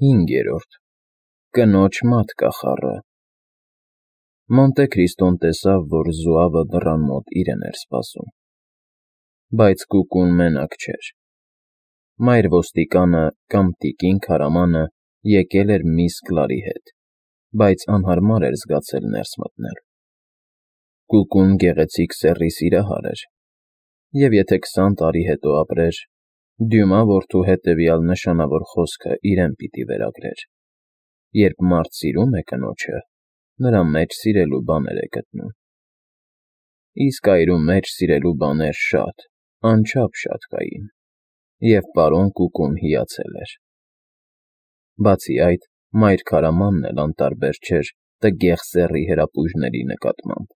5. Կնոջ մատկախառը։ Մոնտե Քրիստոն տեսավ, որ զոավը դռան մոտ իրեն էր սպասում, բայց կուկուն մենակ չէր. մայր ոստիկանը կամ տիկին քարամանը եկել էր միս Կլարի հետ, բայց անհարմար էր զգացել ներս մտնել. կուկուն գեղեցիկ սեռի սիրահար էր, և եթե 20 տարի հետո ապրեր, Դյումա որդու հետևյալ նշանավոր խոսքը իրեն պիտի վերագրեր. երբ մարդ սիրում է կնոջը, նրա մեջ սիրելու բաներ է գտնում։ Իսկ այրու մեջ սիրելու բաներ շատ, անչափ շատ կային, և պարոն Կուկուն հիացել էր։ Բացի այդ, մայր քարամանն էլ անտարբեր չէր տգեղ սեռի հրապույրների նկատմամբ,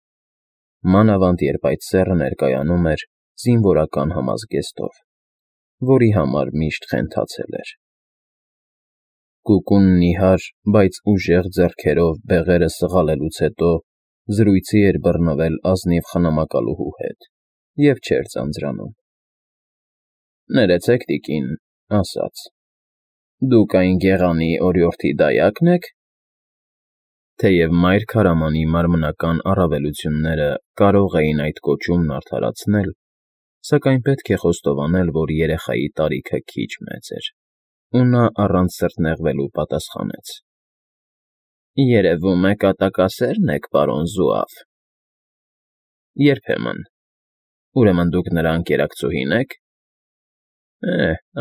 մանավանդ երբ այդ սեռը ներկայանում էր զինվորական համազգեստով, որի համար միշտ խենթացել էր։ Կուկունն նիհար, բայց ուժեղ ձեռքերով բեղերը սղալելուց հետո զրույցի էր բռնվել ազնիվ խնամակալուհու հետ և չէր ձանձրանում։ «Ներեցեք, տիկին», ասաց, «դուք այն գեղանի օրիորդի դայակն եք»։ Թեև մայր քարամանի մարմնական առավելությունները կարող էին այդ կոչումն արդարացնել, սակայն պետք է խոստովանել, որ երեխայի տարիքը քիչ մեծ էր, ու նա առանց սրտնեղվելու պատասխանեց. «Երևում է կատակասե՞րն եք, պարոն Զուավ»։ «Երբեմն։ Ուրեմն դուք նրա ընկերակցուհի՞ն եք»։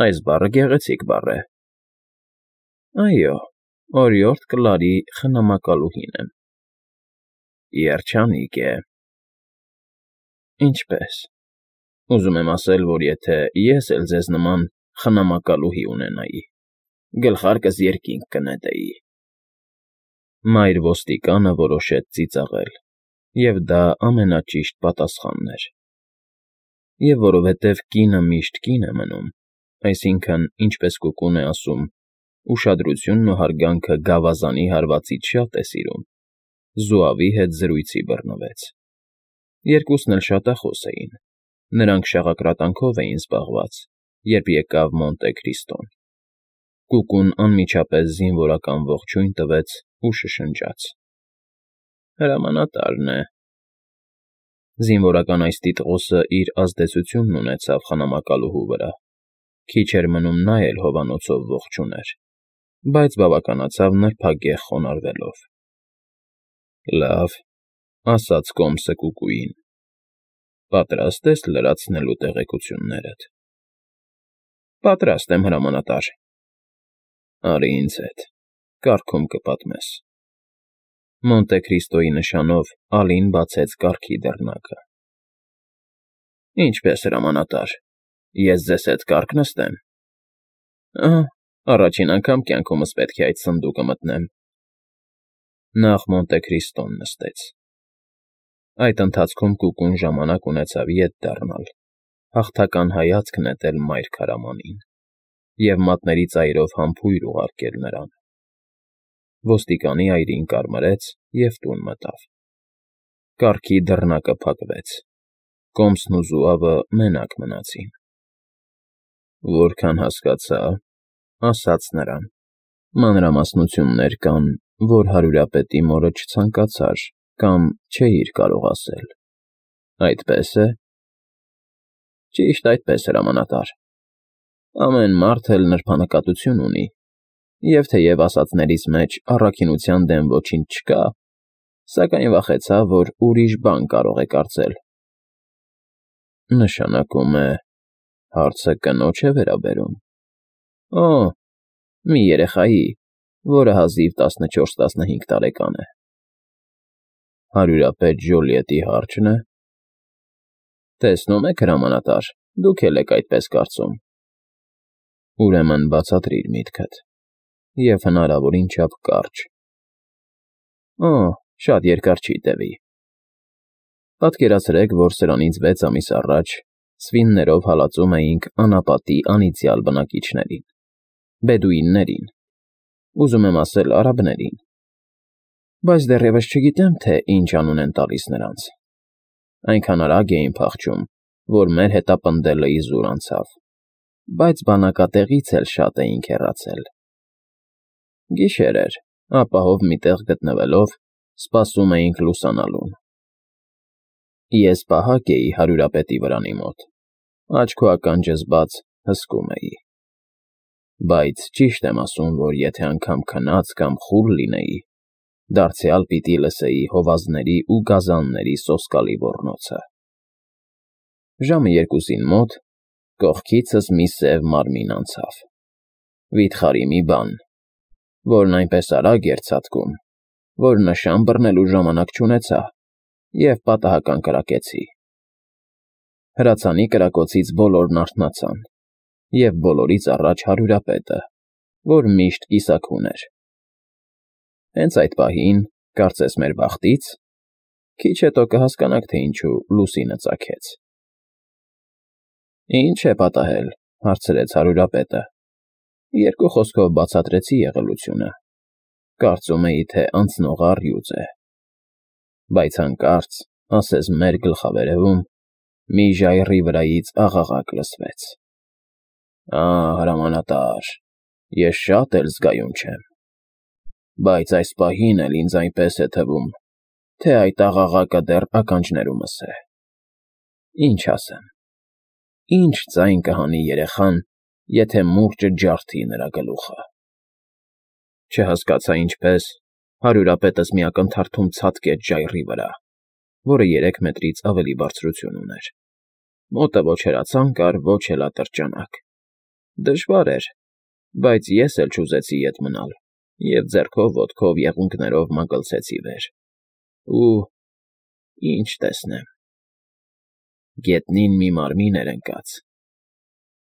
Այս բառը գեղեցիկ բառ է։ «Այո, օրիորդ Կլարի խնամակալուհին եմ»։ «Երջանիկ է»։ «Ինչպե՞ս։ Ուզում եմ ասել, որ եթե ես էլ ձեզ նման խնամակալուհի ունենայի, գլխարկս երկինք կնետեի»։ Մայր ոստիկանը որոշեց ծիծաղել, և դա ամենաճիշտ պատասխանն էր։ Եվ որովհետև կինը միշտ կին է մնում, այսինքն, ինչպես Կուկուն է ասում, ուշադրությունն ու հարգանքը գավազանի հարվածից շատ է սիրում, Զուավի հետ զրույցի բռնվեց։ Երկուսն էլ շատախոս էին, նրանք շաղակրատանքով էին զբաղված, երբ եկավ Մոնտե Քրիստոն։ Կուկուն անմիջապես զինվորական ողջույն տվեց ու շշնջաց. «Հրամանատարն է»։ Զինվորական այս տիտղոսը իր ազդեցությունն ունեցավ խնամակալուհու վրա, քիչ էր մնում նա էլ հովանոցով ողջ ուներ, բայց բավականացավ նրբագեղ խոնարհվելով։ «Լավ», ասաց կոմսը Կուկուին, «պատրաստ ես լրացնելու տեղեկություններդ»։ «Պատրաստ եմ, հրամանատար»։ «Արի ինձ հետ, կառքում կպատմես»։ Մոնտե Քրիստոյի նշանով Ալին բացեց կառքի դռնակը։ «Ինչպե՞ս, հրամանատար, ես ձեզ հետ կառք նստեմ»։ «Ահա, առաջին անգամ կյանքումս պետք է այդ սնդուկը մտնեմ»։ Նախ Մոնտե Քրիստոն նստեց։ Այդ ընթացքում Կուկուն ժամանակ ունեցավ ետ դառնալ, հաղթական հայացք նետել մայր քարամանին և մատների ծայրով համբույր ուղարկել նրան։ Ոստիկանի այրին կարմրեց և տուն մտավ։ Կառքի դռնակը փակվեց, կոմսն ու Զուավը մենակ մնացին։ «Որքան հասկացա, ֊ ասաց նրան, ֊ մանրամասնություններ կան, որ հարյուրապետի մորը չցանկացար կամ չէիր կարող ասել, այդպե՞ս է»։ «Ճիշտ այդպես, հրամանատար։ Ամեն մարդ էլ նրբանկատություն ունի, և թեև ասածներիս մեջ առաքինության դեմ ոչինչ չկա, սակայն վախեցա, որ ուրիշ բան կարող է կարծել»։ «Նշանակում է, հարցը կնո՞ջ է վերաբերում»։ «Օ, մի երեխայի, որը հազիվ 14-15 տարեկան է»։ «Հարյուրապետ Ժոլիետի հարջ՞ն է»։ «Տեսնում եք, հրամանատար, դուք էլ եք այդպես կարծում»։ «Ուրեմն բացատրիր միտքդ և հնարավորին չափ կարճ»։ «Օ, շատ երկար չի տևի։ Պատկերացրեք, որ սրանից 6 ամիս առաջ սվիններով հալածում էինք անապատի անիծյալ բնակիչներին՝ բեդուիններին, ուզում եմ ասել արաբներին, բայց դեռևս չգիտեմ, թե ինչ անուն են տալիս նրանց։ Այնքան արագ էին փախչում, որ մեր հետապնդելը իզուր անցավ, բայց բանակատեղից էլ շատ էինք հեռացել»։ Գիշեր էր, ապահով մի տեղ գտնվելով, սպասում էինք լուսանալուն։ Ես պահակ էի հարյուրապետի վրանի մոտ, աչք ու ականջս բաց հսկում էի։ Բայց ճիշտ եմ ասում, որ եթե անգամ քնած կամ խուլ լինեի, դարձյալ պիտի լսեի հովազների ու գազանների սոսկալի ոռնոցը։ Ժամը 2-ին մոտ կողքիցս մի սև մարմին անցավ, վիթխարի մի բան, որն այնպես արագ էր ցատկում, որ նշան բռնելու ժամանակ չունեցա և պատահական կրակեցի։ Հրացանի կրակոցից բոլորն արթնացան, և բոլորից առաջ հարյուրապետը, որ միշտ կիսաքուն էր։ Հենց այդ պահին, կարծես մեր բախտից, քիչ հետո կհասկանաք, թե ինչու լուսինը ծագեց։ Ի՞նչ է պատահել, հարցրեց հարյուրապետը։ Երկու խոսքով բացատրեցի եղելությունը։ Կարծում էի, թե անցնողը առյուծ է։ Բայց հանկարծ, ասես մեր գլխավերևում, մի ժայռի վրայից աղաղակ լսվեց. Հրամանատար, ես շատ էլ զգայուն չեմ, բայց այս պահին էլ ինձ այնպես է թվում, թե այդ աղաղակը դեռ ականջներումս է։ Ինչ ասեմ, ինչ ձայն կհանի երեխան, եթե մուրճը ջարդի նրա գլուխը։ Չհասկացա ինչպես, հարյուրապետս մի ակնթարթում ցատկեց ժայռի վրա, որը 3 մետրից ավելի բարձրություն ուներ։ Մոտը ոչ հրացան կար, ոչ էլ ատրճանակ։ Դժվար էր, բայց ես էլ չուզեցի ետ մնալ և ձեռքով ոտքով եղունգներով մագլցեցի վեր։ Ու ինչ տեսնեմ։ Գետնին մի մարմին էր ընկած։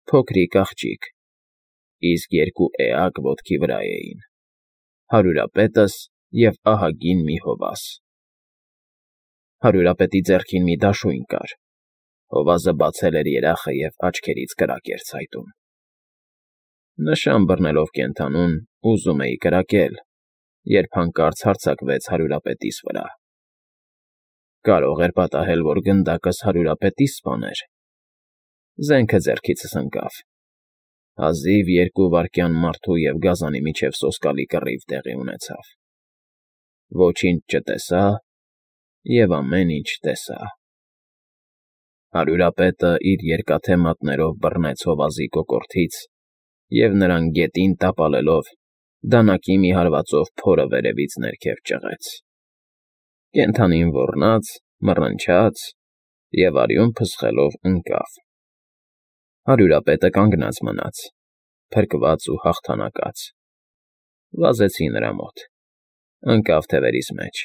Փոքրիկ աղջիկ, իսկ 2 էակ ոտքի վրա էին, հարյուրապետս և ահագին մի հովազ։ Հարյուրապետի ձեռքին մի դաշույն կար, հովազը բացել էր երախը և աչքերից կրակ էր ցայտում։ Նշան բռնելով կենդանուն, ուզում էի կրակել, երբ հանկարծ հարձակվեց հարյուրապետիս վրա։ Կարող էր պատահել, որ գնդակս հարյուրապետիս սպաներ։ Զենքը ձեռքիցս ընկավ։ Հազիվ 2 վայրկյան մարդու և գազանի միջև սոսկալի կռիվ տեղի ունեցավ։ Ոչինչ չտեսա և ամեն ինչ տեսա։ Հարյուրապետը իր երկաթե մատներով բռնեց հովազի կոկորդից և նրան գետին տապալելով, դանակի մի հարվածով փորը վերևից ներքև ճղեց։ Կենդանին ոռնաց, մռնչաց և արյուն փսխելով ընկավ։ Հարյուրապետը կանգնած մնաց, փրկված ու հաղթանակած։ Վազեցի նրա մոտ։ Ընկավ թևերիս մեջ։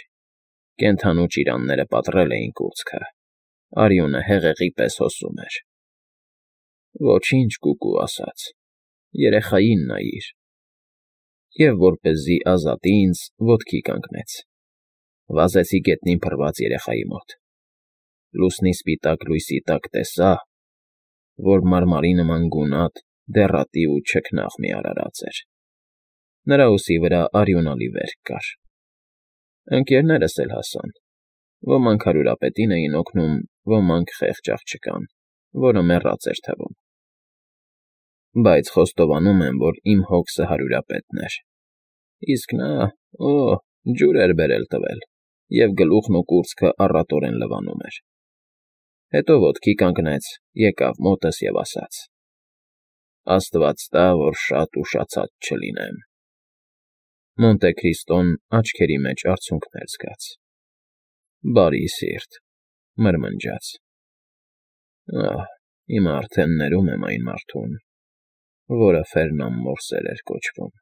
Կենդանու ճիրանները պատռել էին կուրծքը, արյունը հեղեղի պես հոսում էր։ Ոչինչ, կուկու ասաց, երեխային նայիր։ Եվ որպեսզի ազատի ինձ, ոտքի կանգնեց։ Վազեցի գետնին փռված երեխայի մոտ։ Լուսնի սպիտակ լույսի տակ տեսա, որ մարմարի նման գունատ, դեղատի ու չքնաղ մի արարած էր։ Նրա ուսի վրա արյունալի վերք կար։ Ընկերներս էլ հասան։ Ոմանք հարյուրապետին էին օգնում, ոմանք խեղճ աղջկան, որը մեռած էր թվում։ Բայց խոստովանում եմ, որ իմ հոգսը հարյուրապետն էր, իսկ նա, ջուր էր բերել տվել, և գլուխն ու կուրծքը առատորեն լվանում էր։ Հետո ոտքի կանգնեց, եկավ մոտս և ասաց. Աստված տա, որ շատ ուշացած չլինեմ։ Մոնտե Քրիստոն աչքերի մեջ արցունքներ զգաց։ Բարի սիրտ, մրմնջաց. Հիմա արդեն ներում եմ այն մարդուն, որը Ֆերնան Մորսեր էր կոչվում։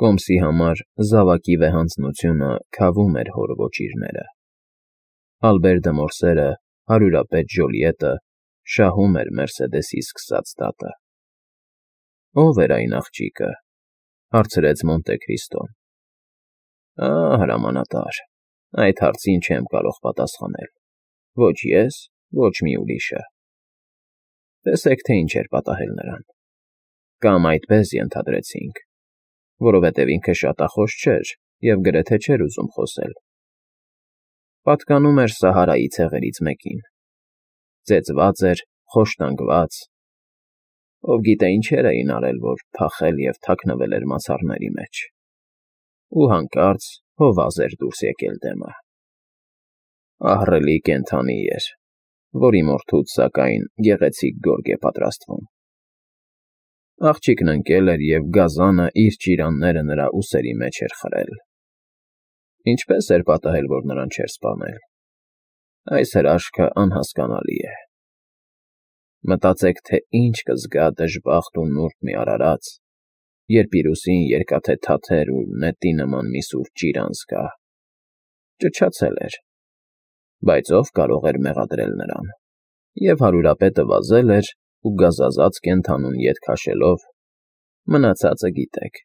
Կոմսի համար զավակի վեհանձնությունը քավում էր հոր ոճիրները։ Ալբեր դը Մորսերը, հարյուրապետ Ժոլիետը, շահում էր Մերսեդեսի սկսած դատը։ Ո՞վ էր այն աղջիկը, հարցրեց Մոնտե Քրիստոն։ Հրամանատար, այդ հարցին չեմ կարող պատասխանել, ոչ ես, ոչ մի ուրիշը։ Տեսեք, թե ինչ էր պատահել նրան։ Կամ այդպես ենթադրեցինք, որովհետև ինքը շատախոս չէր և գրեթե չէր ուզում խոսել։ Պատկանում էր Սահարայի ցեղերից մեկին։ Ծեծված էր, խոշտանգված, Ով գիտե ինչեր էին արել, որ փախել և թաքնվել էր մացառների մեջ, ու հանկարծ հովազ էր դուրս եկել դեմը։ Ահռելի կենդանի էր, որի մորթուց, սակայն, գեղեցիկ գորգ է պատրաստվում։ Աղջիկն ընկել էր, և գազանը իր ճիրանները նրա ուսերի մեջ էր խրել։ Ինչպե՞ս էր պատահել, որ նրան չէր սպանել։ Այս հրաշքը անհասկանալի է։ Մտածեք, թե ինչ կզգա դժբախտ ու նուրբ մի արարած, երբ իր ուսին երկաթե թաթեր ու նետի նման մի սուր ճիրան զգա։ Ճչացել էր, բայց ո՞վ կարող էր մեղադրել նրան, և հարուրապետը վազել էր ու գազազած կենդանուն ետ քաշելով, մնացածը գիտեք։